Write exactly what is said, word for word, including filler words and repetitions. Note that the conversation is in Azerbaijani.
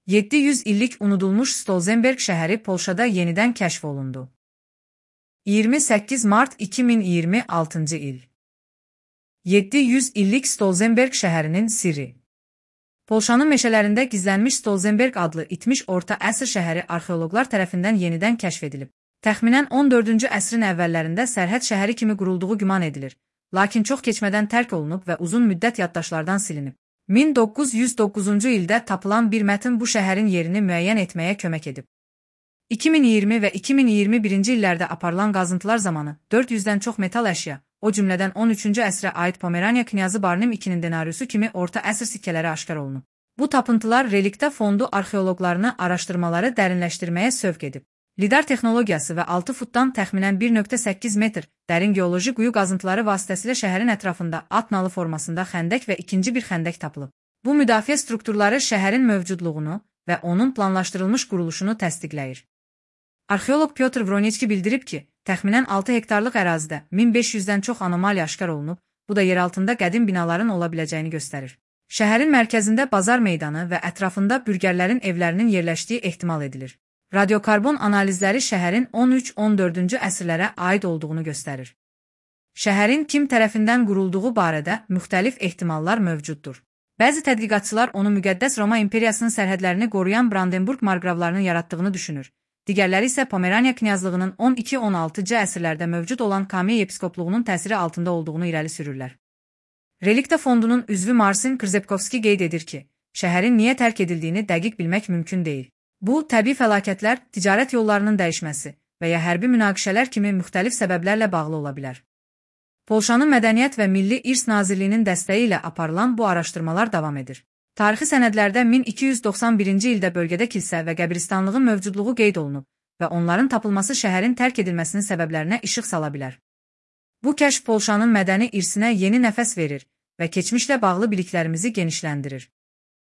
yeddi yüz illik unudulmuş Stolzenberg şəhəri Polşada yenidən kəşf olundu. iyirmi səkkiz mart iki min iyirmi altıncı il. yeddi yüz illik Stolzenberg şəhərinin sirri. Polşanın meşələrində gizlənmiş Stolzenberg adlı itmiş orta əsr şəhəri arxeoloqlar tərəfindən yenidən kəşf edilib. Təxminən on dördüncü əsrin əvvəllərində sərhəd şəhəri kimi qurulduğu güman edilir, lakin çox keçmədən tərk olunub və uzun müddət yaddaşlardan silinib. min doqquz yüz doqquzuncu ildə tapılan bir mətn bu şəhərin yerini müəyyən etməyə kömək edib. iki min iyirmi və iki min iyirmi birinci illərdə aparılan qazıntılar zamanı dörd yüzdən çox metal əşya, o cümlədən on üçüncü əsrə aid Pomeraniya knyazı Barnim ikinin denariusu kimi orta əsr sikkələri aşkar olunub. Bu tapıntılar reliktə fondu arxeoloqlarını araşdırmaları dərinləşdirməyə sövq edib. Lidar texnologiyası və altı futdan təxminən bir nöqtə səkkiz metr dərin geoloji quyu qazıntıları vasitəsilə şəhərin ətrafında at nalı formasında xəndək və ikinci bir xəndək tapılıb. Bu müdafiə strukturları şəhərin mövcudluğunu və onun planlaşdırılmış quruluşunu təsdiqləyir. Arxeoloq Pyotr Vroniçki bildirib ki, təxminən altı hektarlıq ərazidə min beş yüzdən çox anomaliya aşkar olunub, bu da yeraltında qədim binaların ola biləcəyini göstərir. Şəhərin mərkəzində bazar meydanı və ətrafında bürgərlərin evlərinin yerləşdiyi ehtimal edilir. Radiokarbon analizləri şəhərin on üç on dördüncü əsrlərə aid olduğunu göstərir. Şəhərin kim tərəfindən qurulduğu barədə müxtəlif ehtimallar mövcuddur. Bəzi tədqiqatçılar onu müqəddəs Roma imperiyasının sərhədlərini qoruyan Brandenburg marqravlarının yaratdığını düşünür. Digərləri isə Pomeraniya knyazlığının on iki on altıncı əsrlərdə mövcud olan Kamiy yepiskopluğunun təsiri altında olduğunu irəli sürürlər. Relikta fondunun üzvü Marsin Krzepkovski qeyd edir ki, şəhərin niyə tərk edildiyini dəqiq bilmək mümkün deyil. Bu, təbii fəlakətlər, ticarət yollarının dəyişməsi və ya hərbi münaqişələr kimi müxtəlif səbəblərlə bağlı ola bilər. Polşanın Mədəniyyət və Milli İrs Nazirliyinin dəstəyi ilə aparılan bu araşdırmalar davam edir. Tarixi sənədlərdə min iki yüz doxsan birinci ildə bölgədə kilsə və qəbristanlığın mövcudluğu qeyd olunub və onların tapılması şəhərin tərk edilməsinin səbəblərinə işıq sala bilər. Bu kəşf Polşanın mədəni irsinə yeni nəfəs verir və keçmişlə bağlı biliklərimizi genişləndirir.